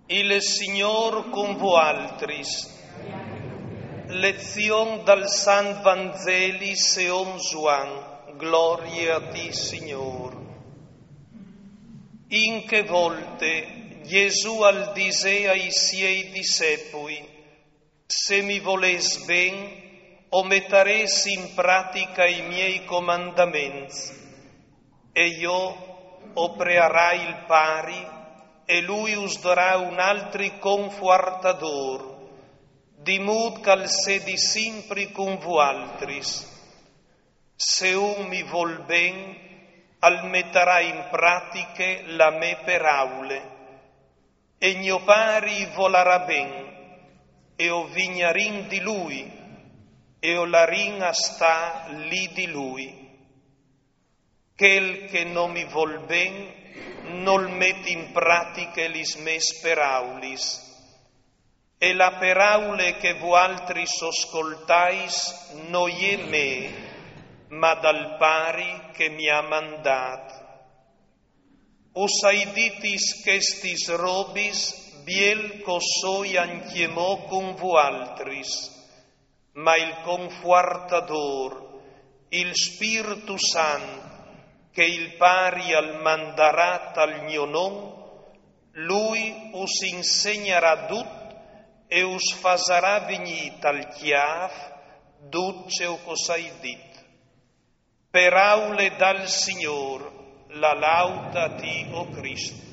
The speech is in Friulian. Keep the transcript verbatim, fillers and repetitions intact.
Il Signor cun vualtris. Lezion dal Sant Vanzeli seom Zuan. Glorie a ti, Signor. In che volte Gesù al disè ai siei dissepui: Se mi volês ben, o metarês in pratica i miei comandaments. E jo o prearai il Pari, e lui us darà un altri confuartador, di mût ch'al sedi simpri cun vualtris. Se un mi vol ben, al metarà in pratiche la mê peraule. E gno Pari i volarà ben, e o vignarìn di lui, e o larìn a stâ li di lui. Chel che no mi vol ben nol met in pratiche lis mês peraulis. E la peraule che vualtris o scoltais no je mê, ma dal Pari che mi à mandât. Us ai ditis chestis robis biel ch'o soi ancjemò cun vualtris. Ma il Confuartador, il Spirtu Sant, che il Pari al mandarà tal gno non, lui us insegnarà dut e us fasarà vignî tal cjâf dut ce ch'us ai dit. Peraule dal Signor. La laud a ti, o Crist.